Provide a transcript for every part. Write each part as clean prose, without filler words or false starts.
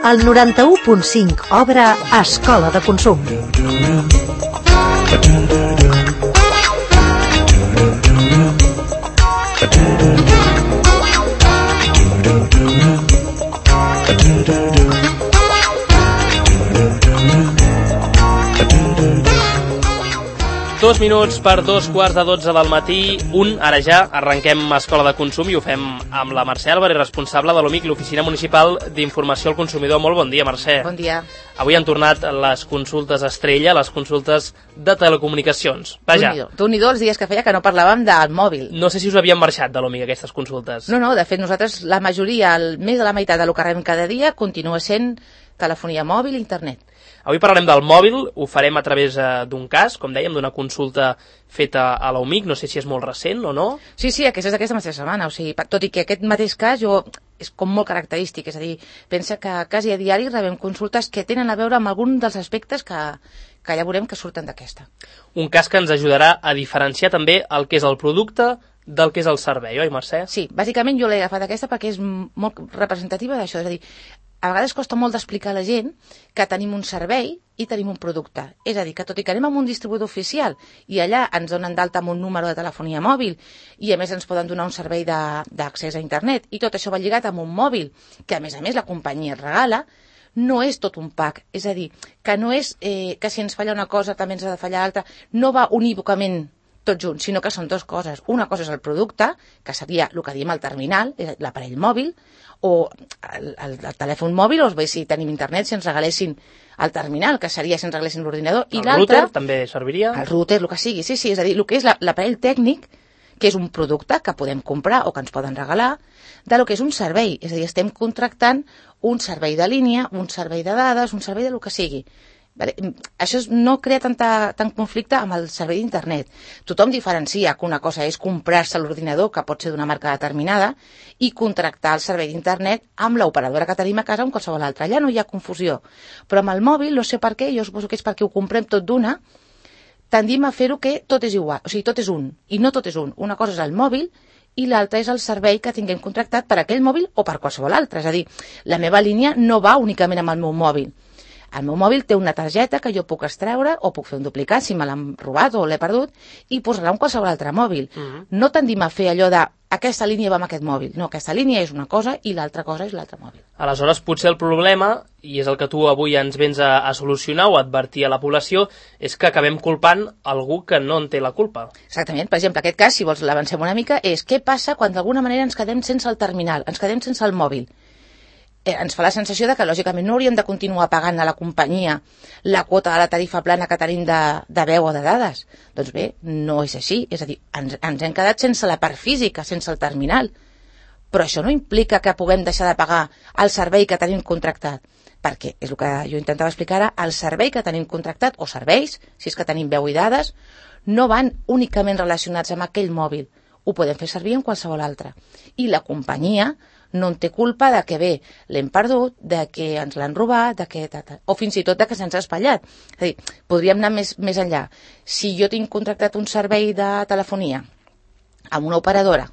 El 91.5 obre Escola de Consum. Dos minuts per 2:15 del matí, ara ja, arrenquem Escola de Consum i ho fem amb la Mercè Álvarez, responsable de l'OMIC, l'Oficina Municipal d'Informació al Consumidor. Molt bon dia, Mercè. Bon dia. Avui han tornat les consultes estrella, les consultes de telecomunicacions. Vaja. Déu-n'hi-do els dies que feia que no parlàvem del mòbil. No sé si us havien marxat de l'OMIC aquestes consultes. No, de fet nosaltres, la majoria, més de la meitat del que rebem cada dia, continua sent telefonia mòbil i internet. Avui parlarem del mòbil, ho farem a través d'un cas, com dèiem, d'una consulta feta a l'OMIC, no sé si és molt recent o no. Sí, aquesta és d'aquesta mateixa setmana, o sigui, tot i que aquest mateix cas és com molt característic, és a dir, pensa que quasi a diari rebem consultes que tenen a veure amb algun dels aspectes que ja veurem que surten d'aquesta. Un cas que ens ajudarà a diferenciar també el que és el producte del que és el servei, oi, Mercè? Sí, bàsicament jo l'he agafat aquesta perquè és molt representativa d'això, és a dir, a vegades costa molt d'explicar a la gent que tenim un servei i tenim un producte. És a dir, que tot i que anem amb un distribuïdor oficial i allà ens donen d'alta amb un número de telefonia mòbil i a més ens poden donar un servei d'accés a internet i tot això va lligat amb un mòbil que a més la companyia et regala, no és tot un pack. És a dir, que no és que si ens falla una cosa també ens ha de fallar l'altra, no va unívocament tot junt, sinó que són dues coses. Una cosa és el producte, que seria el que diem el terminal, l'aparell mòbil, o el telèfon mòbil, o bé si tenim internet, si ens regalessin el terminal, que seria si ens regalessin l'ordinador, i l'altre... El router també serviria? El router, el que sigui, sí, és a dir, el que és l'aparell tècnic, que és un producte que podem comprar o que ens poden regalar, de lo que és un servei, és a dir, estem contractant un servei de línia, un servei de dades, un servei de lo que sigui. Això no crea tant conflicte amb el servei d'internet. Tothom diferencia que una cosa és comprar-se l'ordinador, que pot ser d'una marca determinada, i contractar el servei d'internet amb l'operadora que tenim a casa o amb qualsevol altra. Allà no hi ha confusió. Però amb el mòbil, no sé per què, jo suposo que és perquè ho comprem tot d'una, tendim a fer-ho que tot és igual, o sigui, tot és un, i no tot és un. Una cosa és el mòbil i l'altra és el servei que tinguem contractat per aquell mòbil o per qualsevol altre. És a dir, la meva línia no va únicament amb el meu mòbil. El meu mòbil té una targeta que jo puc extreure o puc fer un duplicat si me l'han robat o l'he perdut i posar-la en qualsevol altre mòbil. No tendim a fer allò de aquesta línia va amb aquest mòbil. No, aquesta línia és una cosa i l'altra cosa és l'altre mòbil. Aleshores, potser el problema, i és el que tu avui ens vens a solucionar o a advertir a la població, és que acabem culpant algú que no en té la culpa. Exactament. Per exemple, aquest cas, si vols l'avancem una mica, és què passa quan d'alguna manera ens quedem sense el terminal, ens quedem sense el mòbil. Ens fa la sensació de que, lògicament, no hauríem de continuar pagant a la companyia la quota de la tarifa plana que tenim de veu o de dades. Doncs bé, no és així. És a dir, ens hem quedat sense la part física, sense el terminal. Però això no implica que puguem deixar de pagar el servei que tenim contractat. Perquè, és el que jo intentava explicar ara, el servei que tenim contractat, o serveis, si és que tenim veu i dades, no van únicament relacionats amb aquell mòbil. Ho podem fer servir en qualsevol altre. I la companyia no en té culpa de que bé, l'hem perdut, de que ens l'han robat, o fins i tot de que se'ns ha espatllat. És a dir, podríem anar més enllà. Si jo tinc contractat un servei de telefonia amb una operadora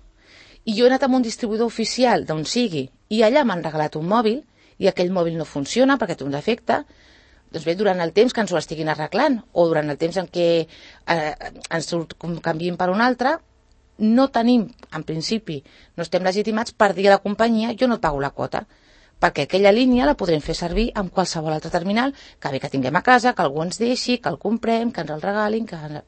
i jo he anat amb un distribuïdor oficial d'on sigui i allà m'han regalat un mòbil i aquell mòbil no funciona perquè té un defecte, doncs bé, durant el temps que ens ho estiguin arreglant o durant el temps en què ens ho canviïn per un altre, no tenim, en principi, no estem legitimats per dir a la companyia jo no et pago la quota, perquè aquella línia la podrem fer servir amb qualsevol altre terminal que bé que tinguem a casa, que algú ens deixi, que el comprem, que ens el regalin, que...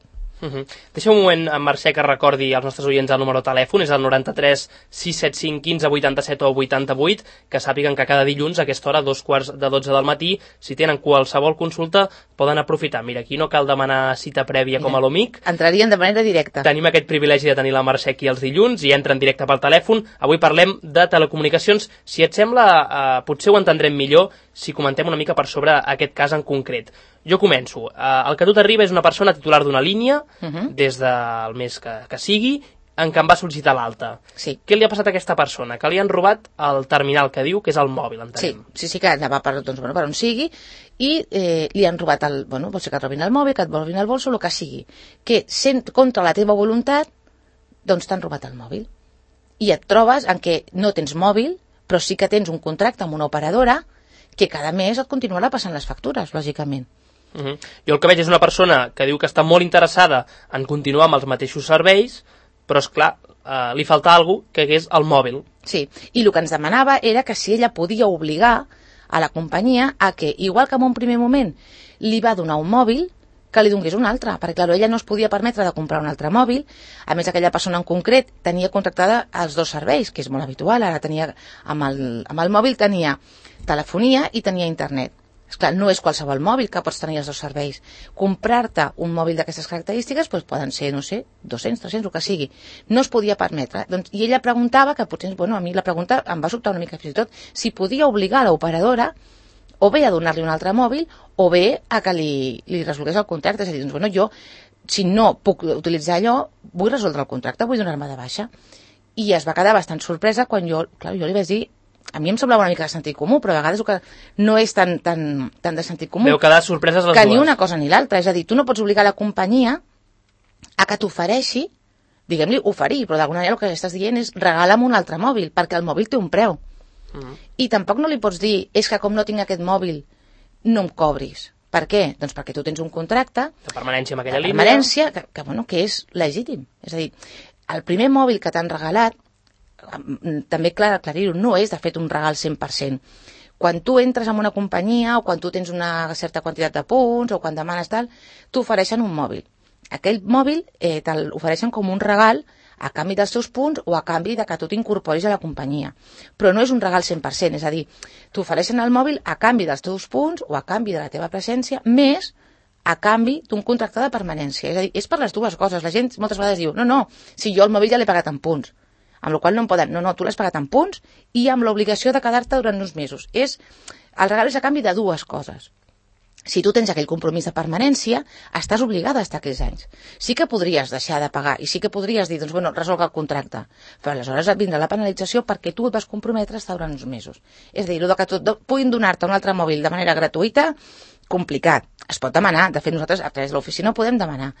Deixa un moment, Mercè, que recordi als nostres oients el número de telèfon, és el 93 675 15 87 o 88, que sàpiguen que cada dilluns a aquesta hora, 11:15 del matí, si tenen qualsevol consulta, poden aprofitar. Mira, aquí no cal demanar cita prèvia com a l'OMIC. Entrarien de manera directa. Tenim aquest privilegi de tenir la Mercè aquí els dilluns i entra en directe pel telèfon. Avui parlem de telecomunicacions. Si et sembla, potser ho entendrem millor si comentem una mica per sobre aquest cas en concret. Jo començo. El que a tu t'arriba és una persona titular d'una línia, des del mes que sigui, en què em va sol·licitar l'alta. Sí. Què li ha passat a aquesta persona? Que li han robat el terminal que diu que és el mòbil, entenem. Sí, que anava per on sigui i li han robat vol ser que et robin el mòbil, que et robin el bolso, el que sigui. Que sent contra la teva voluntat, doncs t'han robat el mòbil. I et trobes en què no tens mòbil, però sí que tens un contracte amb una operadora que cada mes et continuarà passant les factures, lògicament. Jo el que veig és una persona que diu que està molt interessada en continuar amb els mateixos serveis, però, esclar, li falta alguna cosa, que és el mòbil. Sí, i el que ens demanava era que si ella podia obligar a la companyia a que, igual que en un primer moment li va donar un mòbil, que li donés un altre, perquè clar, ella no es podia permetre de comprar un altre mòbil. A més, aquella persona en concret tenia contractada els dos serveis, que és molt habitual. Ara tenia, amb el mòbil tenia telefonia i tenia internet. Esclar, no és qualsevol mòbil que pots tenir els dos serveis. Comprar-te un mòbil d'aquestes característiques doncs poden ser, no sé, 200, 300, el que sigui. No es podia permetre. Doncs, i ella preguntava, que potser, bueno, a mi la pregunta em va sobtar una mica fins i tot, si podia obligar a l'operadora o bé a donar-li un altre mòbil o bé a que li resolgués el contracte. És a dir, doncs, bueno, jo, si no puc utilitzar allò, vull resoldre el contracte, vull donar-me de baixa. I es va quedar bastant sorpresa quan jo li vaig dir, a mi em semblava una mica de sentit comú, però a vegades que no és tan de sentit comú. Veu quedar sorpreses les que dues. Ni una cosa ni l'altra. És a dir, tu no pots obligar la companyia a que t'ofereixi, diguem-li oferir, però d'alguna manera el que estàs dient és regala'm un altre mòbil, perquè el mòbil té un preu. I tampoc no li pots dir, és que com no tinc aquest mòbil, no em cobris. Per què? Doncs perquè tu tens un contracte de permanència amb aquella línia. De permanència, que és legítim. És a dir, el primer mòbil que t'han regalat, també aclarir-ho, no és de fet un regal 100%. Quan tu entres en una companyia o quan tu tens una certa quantitat de punts o quan demanes tal, t'ofereixen un mòbil. Aquell mòbil te'l ofereixen com un regal a canvi dels teus punts o a canvi de que tu t'incorporis a la companyia. Però no és un regal 100%, és a dir, t'ofereixen el mòbil a canvi dels teus punts o a canvi de la teva presència, més a canvi d'un contracte de permanència. És a dir, és per les dues coses. La gent moltes vegades diu, no, si jo el mòbil ja l'he pagat en punts, amb la qual no em poden... No, tu l'has pagat en punts i amb l'obligació de quedar-te durant uns mesos. El regal és a canvi de dues coses. Si tu tens aquell compromís de permanència, estàs obligada a estar aquells anys. Sí que podries deixar de pagar i sí que podries dir, doncs, bueno, resolc el contracte. Però aleshores et vindrà la penalització perquè tu et vas comprometre a estar durant uns mesos. És a dir, que puguin donar-te un altre mòbil de manera gratuïta, complicat. Es pot demanar. De fet, nosaltres a través de l'oficina ho podem demanar.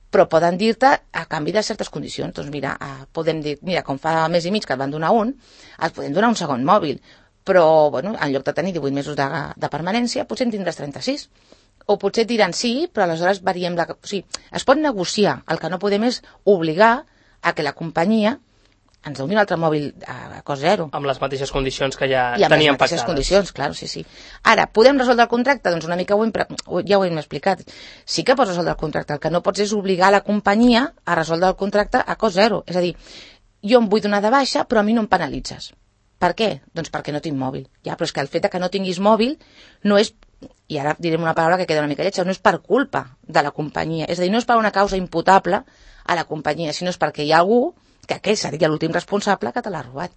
Però poden dir-te a canvi de certes condicions. Doncs mira, podem dir, com fa mes i mig que et van donar un, et podem donar un segon mòbil. Però, bueno, en lloc de tenir 18 mesos de permanència, potser en tindràs 36. O potser et diran sí, però aleshores variem la... O sigui, es pot negociar. El que no podem és obligar a que la companyia ens doni un altre mòbil a cost zero. Amb les mateixes condicions que ja teníem pactades. I amb les mateixes condicions, clar, sí. Ara, podem resoldre el contracte? Doncs una mica ja ho hem explicat. Sí que pots resoldre el contracte. El que no pots és obligar la companyia a resoldre el contracte a cost zero. És a dir, jo em vull donar de baixa, però a mi no em penalitzes. Per què? Doncs perquè no tinc mòbil. Ja, però és que el fet que no tinguis mòbil no és, i ara direm una paraula que queda una mica lletja, no és per culpa de la companyia. És a dir, no és per una causa imputable a la companyia, sinó és perquè hi ha algú que aquell seria l'últim responsable que te l'ha robat.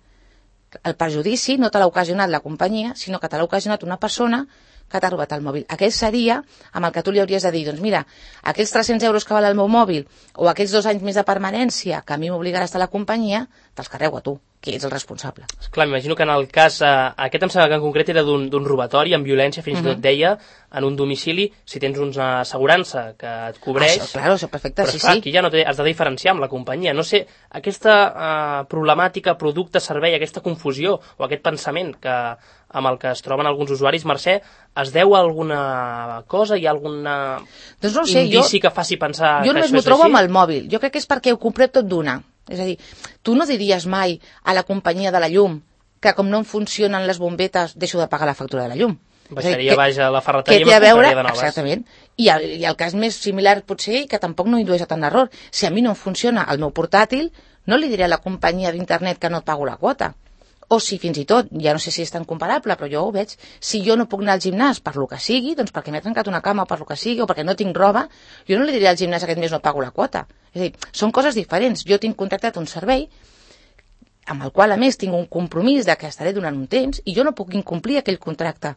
El perjudici no te l'ha ocasionat la companyia, sinó que te l'ha ocasionat una persona que t'ha robat el mòbil. Aquell seria amb el que tu li hauries de dir, doncs mira, aquells 300 euros que val el meu mòbil o aquells 2 anys més de permanència que a mi m'obligarà a estar a la companyia, te'ls carrego a tu, que ets el responsable. Clar, m'imagino que en el cas, aquest em sembla que en concret era d'un robatori amb violència, fins i tot deia, en un domicili, si tens una assegurança que et cobreix... Això, perfecte, però, sí. Aquí ja no has de diferenciar amb la companyia. No sé, aquesta problemàtica, producte, servei, aquesta confusió o aquest pensament amb el que es troben alguns usuaris, Mercè, es deu a alguna cosa? Hi ha alguna indici que faci pensar que això és així? Jo només m'ho trobo amb el mòbil. Jo crec que és perquè ho comprem tot d'una. És a dir, tu no diries mai a la companyia de la llum que com no em funcionen les bombetes deixo de pagar la factura de la llum. Baixaria baix a la ferreteria i me compraria de noves. Exactament. I el cas més similar potser, que tampoc no indueix a tant error, si a mi no em funciona el meu portàtil, no li diré a la companyia d'internet que no et pago la quota. O si fins i tot, ja no sé si és tan comparable, però jo ho veig, si jo no puc anar al gimnàs per lo que sigui, doncs perquè m'he trencat una cama o per lo que sigui, o perquè no tinc roba, jo no li diré al gimnàs aquest mes no pago la quota. És a dir, són coses diferents. Jo tinc contractat un servei amb el qual, a més, tinc un compromís de que estaré durant un temps i jo no puc incomplir aquell contracte.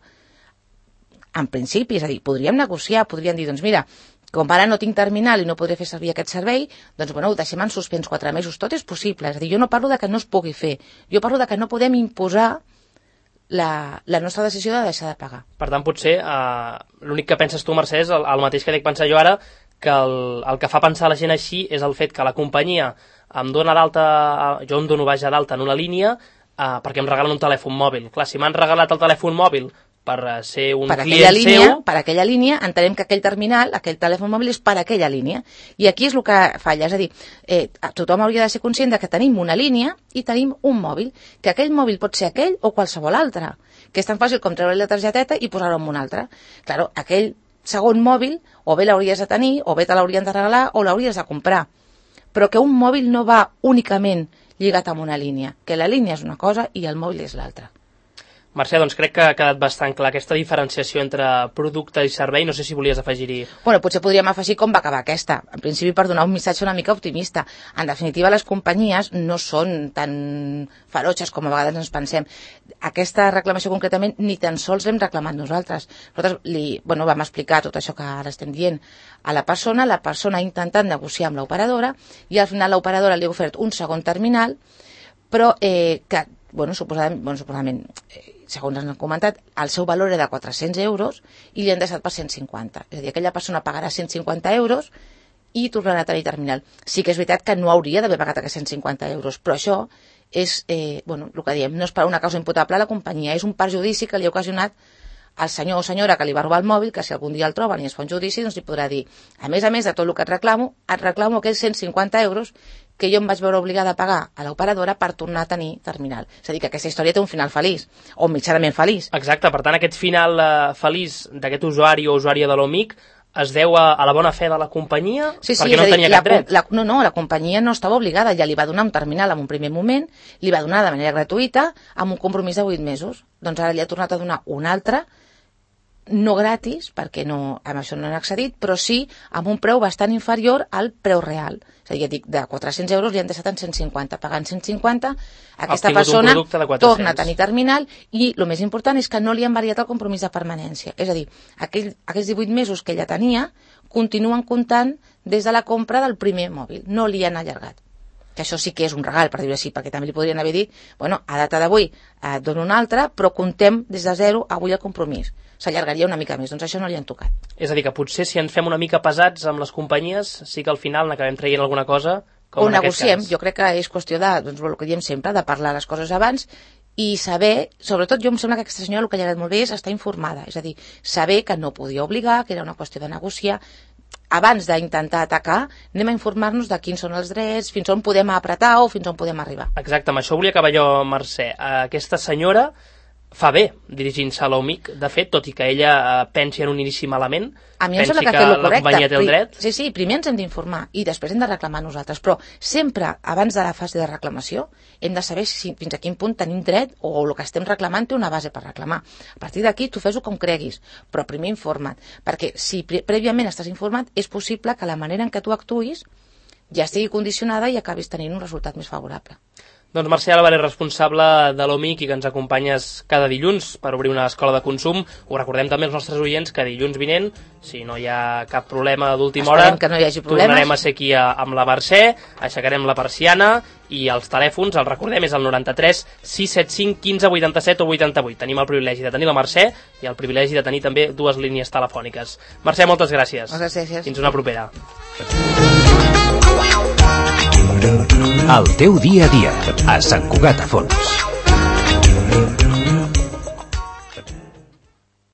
En principi, és a dir, podríem negociar, podríem dir, doncs mira, com ara no tinc terminal i no podré fer servir aquest servei, doncs bueno, ho deixem en suspens 4 mesos. Tot és possible. És a dir, jo no parlo de que no es pugui fer. Jo parlo de que no podem imposar la nostra decisió de deixar de pagar. Per tant, potser l'únic que penses tu, Mercè, és el mateix que dic pensar jo ara, que el que fa pensar la gent així és el fet que la companyia em dona d'alta, jo em dono d'alta en una línia perquè em regalen un telèfon mòbil. Clar, si m'han regalat el telèfon mòbil ser un per client seu... Per aquella línia, entenem que aquell terminal, aquell telèfon mòbil és per aquella línia. I aquí és el que falla, és a dir, tothom hauria de ser conscient de que tenim una línia i tenim un mòbil, que aquell mòbil pot ser aquell o qualsevol altre, que és tan fàcil com treure la targeteta i posar-ho en un altre. Claro, aquell segon mòbil o bé l'hauries de tenir, o bé te l'haurien de regalar, o l'hauries de comprar. Però que un mòbil no va únicament lligat amb una línia, que la línia és una cosa i el mòbil és l'altra. Mercè, doncs crec que ha quedat bastant clar aquesta diferenciació entre producte i servei. No sé si volies afegir-hi... Bueno, potser podríem afegir com va acabar aquesta. En principi, per donar un missatge una mica optimista. En definitiva, les companyies no són tan ferotges com a vegades ens pensem. Aquesta reclamació concretament ni tan sols l'hem reclamat nosaltres. Nosaltres vam explicar tot això que ara estem dient a la persona ha intentat negociar amb l'operadora i al final l'operadora li ha ofert un segon terminal, però que suposadament, segons ens han comentat, el seu valor era de 400 euros i li han deixat per 150. És a dir, aquella persona pagarà 150 euros i tornarà a tenir terminal. Sí que és veritat que no hauria d'haver pagat aquests 150 euros, però això és, el que diem, no és per una causa imputable a la companyia, és un perjudici que li ha ocasionat al senyor o senyora que li va robar el mòbil, que si algun dia el troben i es fa un judici, doncs li podrà dir, a més de tot el que et reclamo aquells 150 euros que jo em vaig veure obligada a pagar a l'operadora per tornar a tenir terminal. És a dir, que aquesta història té un final feliç, o mitjanament feliç. Exacte, per tant, aquest final feliç d'aquest usuari o usuària de l'OMIC es deu a la bona fe de la companyia, perquè no tenia cap dret. La companyia no estava obligada, ja li va donar un terminal en un primer moment, li va donar de manera gratuïta, amb un compromís de 8 mesos. Doncs ara li ha tornat a donar un altre, no gratis, perquè amb això no han accedit, però sí amb un preu bastant inferior al preu real. És a dir, de 400 euros li han deixat en 150. Pagant 150, aquesta persona torna a tenir terminal i el més important és que no li han variat el compromís de permanència. És a dir, aquells 18 mesos que ella tenia continuen comptant des de la compra del primer mòbil. No li han allargat. Que això sí que és un regal, per dir-ho així, perquè també li podrien haver dit, a data d'avui et dono un altre, però comptem des de zero avui el compromís. S'allargaria una mica més, doncs això no li han tocat. És a dir, que potser si ens fem una mica pesats amb les companyies, sí que al final n'acabem traient alguna cosa, com en aquest cas. O negociem, jo crec que és qüestió de, el que diem sempre, de parlar les coses abans i saber, sobretot jo em sembla que aquesta senyora el que li ha agradat molt bé és estar informada, és a dir, saber que no podia obligar, que era una qüestió de negociar. Abans d'intentar atacar, anem a informar-nos de quins són els drets, fins on podem apretar o fins on podem arribar. Exacte, amb això volia acabar jo, Mercè. Aquesta senyora fa bé dirigint-se a l'OMIC, de fet, tot i que ella pensi en un inici malament, pensi que la companyia té el dret. Sí, primer ens hem d'informar i després hem de reclamar nosaltres, però sempre, abans de la fase de reclamació, hem de saber fins a quin punt tenim dret o el que estem reclamant té una base per reclamar. A partir d'aquí, tu fes-ho com creguis, però primer informa't, perquè si prèviament estàs informat, és possible que la manera en què tu actuïs ja estigui condicionada i acabis tenint un resultat més favorable. Doncs Mercè Álvarez, responsable de l'OMIC i que ens acompanyes cada dilluns per obrir una escola de consum. Ho recordem també als nostres oients que dilluns vinent, si no hi ha cap problema d'última hora, que no hi hagi problemes, tornarem a ser aquí amb la Mercè, aixecarem la persiana i els telèfons, els recordem, és el 93 675 15 87 o 88. Tenim el privilegi de tenir la Mercè i el privilegi de tenir també dues línies telefòniques. Mercè, moltes gràcies. Moltes gràcies. Fins una propera. El teu dia a dia, a Sant Cugat a Fons.